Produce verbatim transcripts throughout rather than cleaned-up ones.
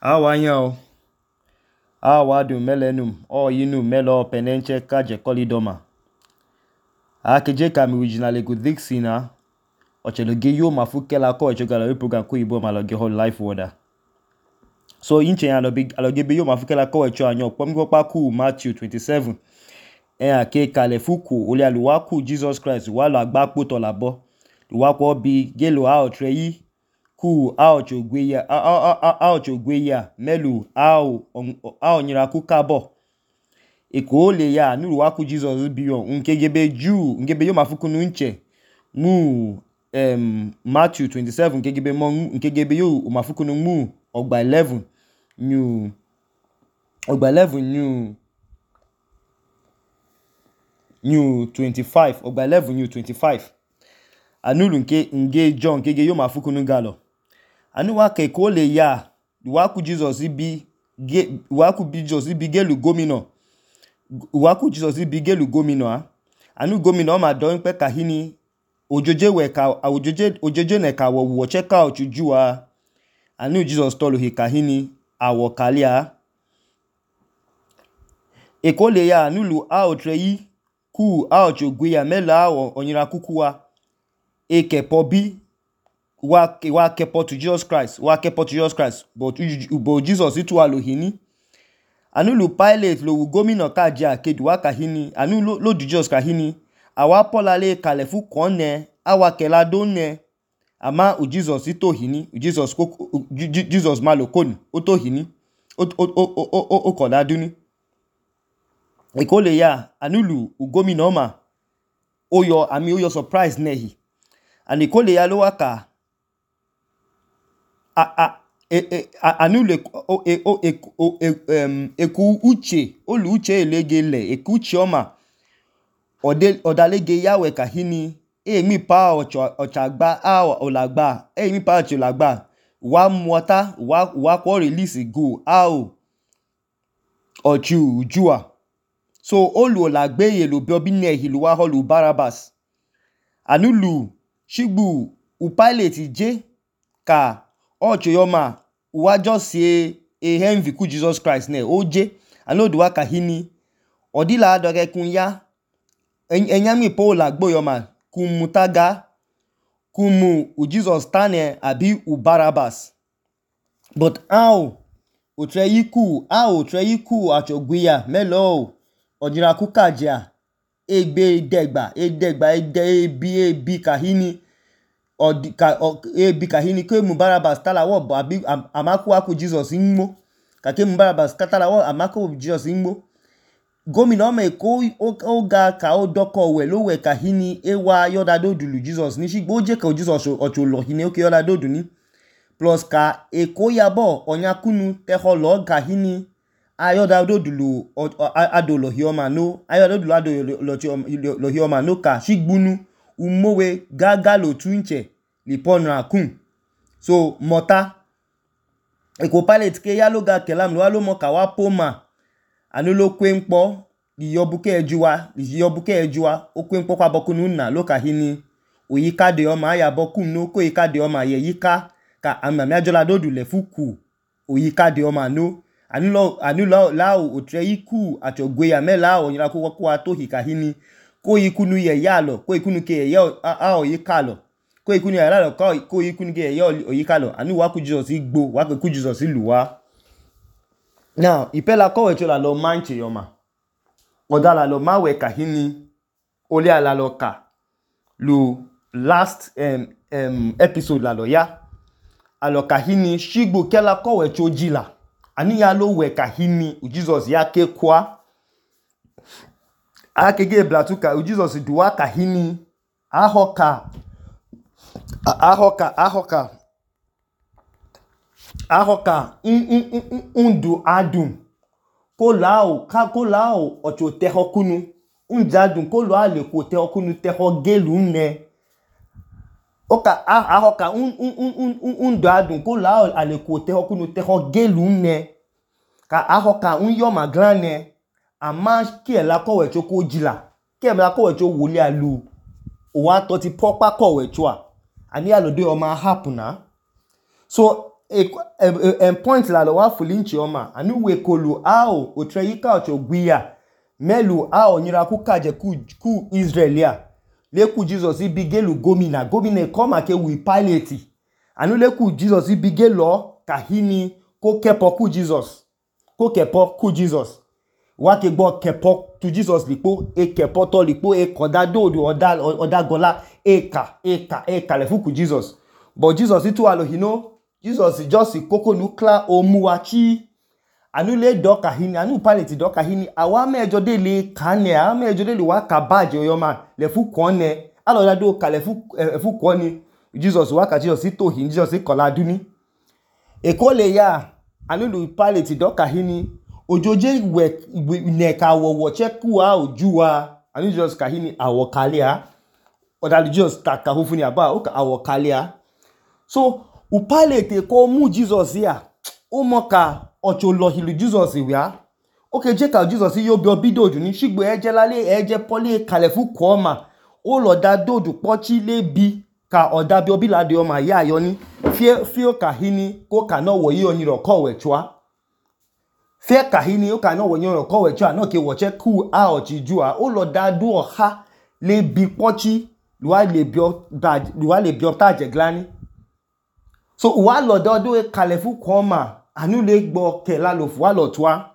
Awanyao, awadu melenum, oyinu melo penenche kaje kolidoma. Akeje kami original ego dixina, ocheloge yo mafukela ko echogala we program ko ibo maloge whole life order. So inche alobe aloge be yo mafukela ko echo anyo pomgo paku Matthew twenty-seven. En ake kale fuku ole aluwaku Jesus Christ walo agbakpo to labo. Luwako bi gelo a otreyi ku a ochogweya a a a a ochogweya melu a a onyiraku kabo. Eko ole ya nu luwaku Jesus biyo nkegebe ju nkegebe yo mafuku nunche mu um, Matthew twenty-seven nkegebe mo nkegebe yo mafuku nu mu ogba eleven new ogba eleven new new twenty-five ogba eleven new twenty-five. Anulu nke nge John nkege yo mafuku nu galo. Anu wake ko le ya luwaku Jesus bi ge luwaku bi Jesus bi gelu gomino. Luwaku Jesus bi gelu gomino a. Anu gomino ma don pe kahini ojoje we ka ojoje ojoje ne ka wo wo check out ju a. Anu Jesus tolo he kahini awo kalia. Eko le ya anulu a otreyi ku a ochogweya mela a onyira kukuwa. Eke pobi wa wa kepo to Jesus Christ wa kepo to Jesus Christ but but Jesus itu alohini anu lu Pilate lo gomina kaje akedu wa kahini anu lo, lo du Jesus kahini awa polale kalefu konne awa kelado ne ama u Jesus ito hini u Jesus ko Jesus malokoni oto hini o o o o o koladuni ekole ya anu lu gomina ma oyo ami oyo surprise nehi ani ekole ya lo waka a a e e anule o e o e o eku uche olu uche elegele eku uche oma ode odalege yawe kahini e mi pa ocho ochagba a olagba e mi pa ocho lagba wa mwata wa wa ko release go ao ochu ujua so olu olagbe ye lo bi obi ne hilu wa holu Barabas anulu shigbu u Pilate je ka ocho yoma wa just say a envy ku Jesus Christ ne oje anodu wa kahini odila adoge kun ya enyami po lagbo yoma kun mutaga kumu u Jesus tane abi u Barabas but how otreyiku how otreyiku achogweya melo ojira kukaja egbe degba edegba ede ebi ebi kahini odika ebi kahini ke mu Barabas talawo abi amaku aku Jesus inmo kake mu Barabas katalawo amaku Jesus inmo gomina me ko oga ka odoko we lo we kahini ewa yoda dodulu Jesus ni shigbo je ka Jesus ocho lo hini oke yoda doduni plus ka eko yabo onyakunu teholo kahini ayoda dodulu adolo hioma no ayoda dodulu adolo lo hioma no ka shigbunu umowe gaga lo tunche liponra kun so mota eko Pilate ke ya lo ga kelam lo lo mo ka wa poma anu lo kwenpo di yobuke ejuwa di yobuke ejuwa o kwenpo kwa bokunu na lo ka hini oyika de o ma ya bokun no ko yika de o ma ye yika ka amami ajola dodu le fuku oyika de o ma no anu lo anu lo la o treyiku achogweya mela o nyira ko ko ato hika hini ko ikunu ye ya lo ko ikunu ke ye a o yika lo ko ikunu ya lo ko ko ikunu ke ye o yika lo anu wa ku Jesus igbo wa ku Jesus luwa now ipela ko we chola lo manche yoma odala lo mawe kahini ole ala lo ka lo last um, um, episode la lo ya alo kahini shigbo kela ko we chojila ani ya lo we kahini u Jesus ya ke kwa akege blatuka u Jesus duwa kahini ahoka ahoka ahoka ahoka undu adun ko lao ka ko lao ocho tehokunu unjadun ko lo ale ko tehokunu teho gelu ne oka ahoka un un un undu adun ko lao ale ko tehokunu teho gelu ne ka ahoka un yo magrane ama ki e la ko we choko jila ki e la ko we cho wole alu o wa to ti popa ko we cho a ani alode o ma happen na so en point la lo wa fulinchi oma anu we kolu ao otreyika ocho gwiya melu ao nyira ku kaje ku ku Israelia le ku Jesus ibigelu gomina gomina koma ke wi Pilate anu le ku Jesus ibigelo kahini ko kepo ku Jesus ko kepo ku Jesus wa ke gbo kepo tu Jesus lipo e kepo to lipo e koda dodo oda oda gola eka eka eka le fu ku Jesus but Jesus itu alo hino Jesus just koko nukla omuwachi anu le doka hini anu Pilate doka hini awa mejo de le kane awa mejo de le wa kabaje oyoma le fu kone alo da do ka le fu e fu kone Jesus wa ka Jesus ito hin Jesus kola duni e ko le ya anu lu Pilate doka hini ojoje we ne ka wo wo cheku a ojuwa anu Jesus ka hini awo kalia oda Jesus ta ka hufuni aba o ka awo kalia so u Pilate ko mu Jesus ya o mo ka ocho lo hilu Jesus ya o ke je ka Jesus yo bi obidodu ni shigbo eje lale eje poli kalefu ko ma o lo da dodu pochi le bi ka oda bi obilade o ma ya yo ni fie fie ka hini ko ka no wo yi oni ro ko we chwa fie ka hini o ka no wo yi ro ko we chwa no ke wo che ku a o chi ju a o lo da du o ha le bi pochi luwa le bi o da luwa le bi o ta je glani so wa lo do do kalefu ko ma anu le gbo ke la lo fu wa lo twa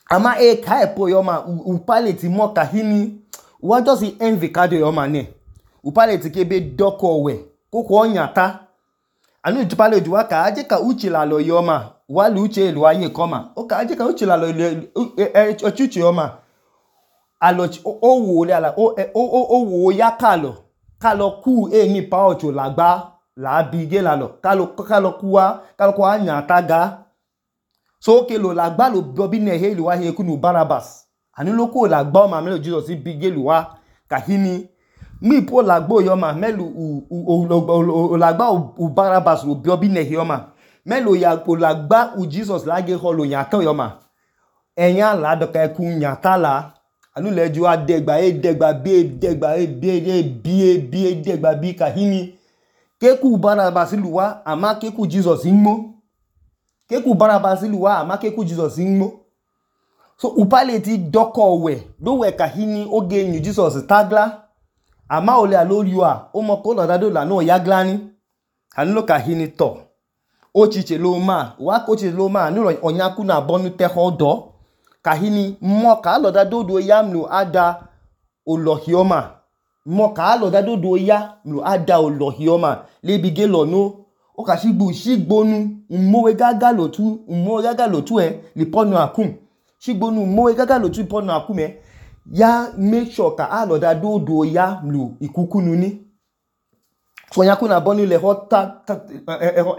ama e ka epo yo ma u Pilate mo ka hini wa just envy ka de yo ma ne u Pilate ke be doko we ko ko nyata anu ju Pilate wa ka aje ka uchi la lo yo ma wa lu uche lu aye ko ma o ka aje ka uchi la lo ochuchi yo ma alo o wo le ala o o o wo ya ka lo ka lo ku e ni pa ocho lagba la bige la lo kalo kalo kuwa kalo kwa nyata ga so ke lo la gba lo bobi ne he lo wa he kunu Barabas ani lo ko la gba o ma melo Jesus bige lo wa kahini mi po la gbo yo ma melu u la gba u Barabas lo bobi ne he yo ma melo ya po la gba u Jesus la ge ho lo nyata yo ma enya la do ka ku nyata la anu le ju adegba e degba bi degba e bi bi bi degba bi kahini keku Barabas luwa ama keku Jesus inmo keku Barabas luwa ama keku Jesus inmo so u Pilate doko we do we kahini oge nyu Jesus tagla ama ole aloriwa o mo ko lo dado la no yaglani anu lo kahini to o chiche lo ma wa ko chiche lo ma anu lo onyaku na bonu te hodo kahini mo ka lo dado do yamlu ada olohioma mo ka lo dado do ya lu ada olohioma le bige lo no o ka shigbu shigbonu mowe gaga lo tu mowe gaga lo tu e li ponu akum shigbonu mowe gaga lo tu ponu akum e ya make sure ka a lo dado do ya lu ikukunu ni so nya kuna bonu le hota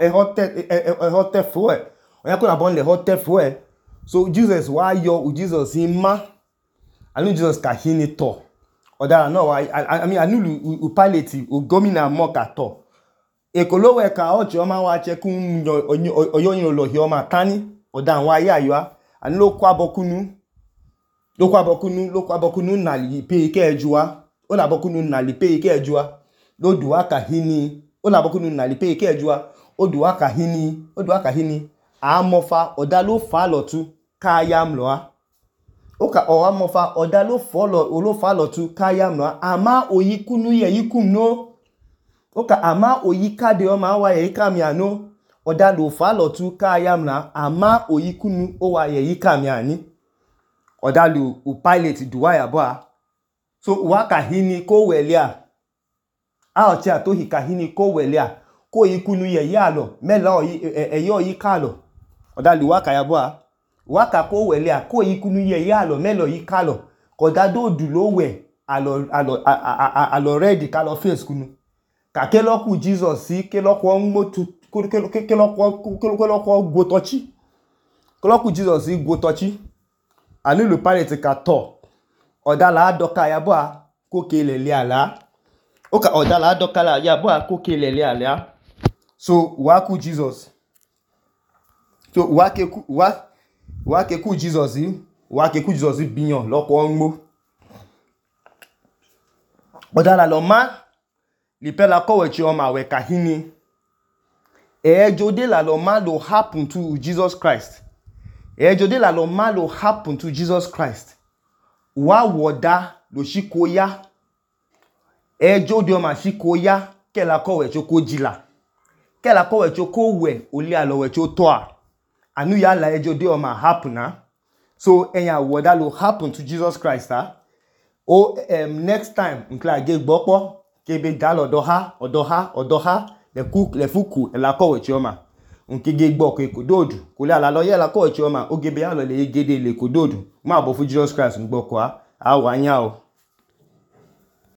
e hota e hota fo e nya kuna bonu le hota fo e so Jesus wa yo u Jesus ima anu Jesus ka hini to oda no I, I mean anu u Pilate o gomina mo ka to ekolo we ka o jo ma wa che kun oyoyin lo hi o ma tani oda wa ya yo anu lo kwa bokunu lo kwa bokunu lo kwa bokunu na li pe ke ejuwa o la bokunu na li pe ke ejuwa lo duwa ka hini o la bokunu na li pe ke ejuwa o duwa ka hini o duwa ka hini a mofa oda lo fa lo tu ka yam lo a oka owa mofa oda lo follow lo follow tu kayam no ama oyikunu ye yikum no oka ama oyika de o ma wa ye yika mi ano oda lo follow tu kayam na ama oyikunu o wa ye yika mi ani oda lo u Pilate duwa ya ba so wa ka hini ko welia a o ti ato hi ka hini ko welia ko yikunu ye ya lo mela o e yo yika lo oda lo wa ka ya ba waka ko wele ko ikunu ye ya lo melo yi kalo ko da do du lo we alo alo alo ready kalo face kunu ka ke lo ku Jesus si ke lo ko nmotu ke lo ke lo ko ke lo ko go tochi ke lo ku Jesus si go tochi ani le Pilate ka to oda la doka ya bo ko ke le le ala o ka oda la doka la ya bo ko ke le le ala so wa ku Jesus so wa ke ku wa wa ke ku Jesus wa ke ku Jesus biyan loko nmo odala lo ma li pe la ko we chi o ma we kahini Ejode la lo malo happen to Jesus Christ. Ejode la lo malo happen to Jesus Christ. Wa woda lo shiko ya. Ejode oma shiko ya ke la ko we choko jila. Ke la ko we choko we oli alo we cho toa. Anu ya la ejode oma happen na. So enya woda lo happen to Jesus Christ ha. O um, next time nkla ge gbopo kebe dal odoha odoha odoha le cook le fuku la ko we chioma. Unke ge gbo ko ekododu ko le ala lo ye la ko we chioma o gebe ya lo le gede le kododu. Ma bo fu Jesus Christ ngbo ko a. A wa nya o.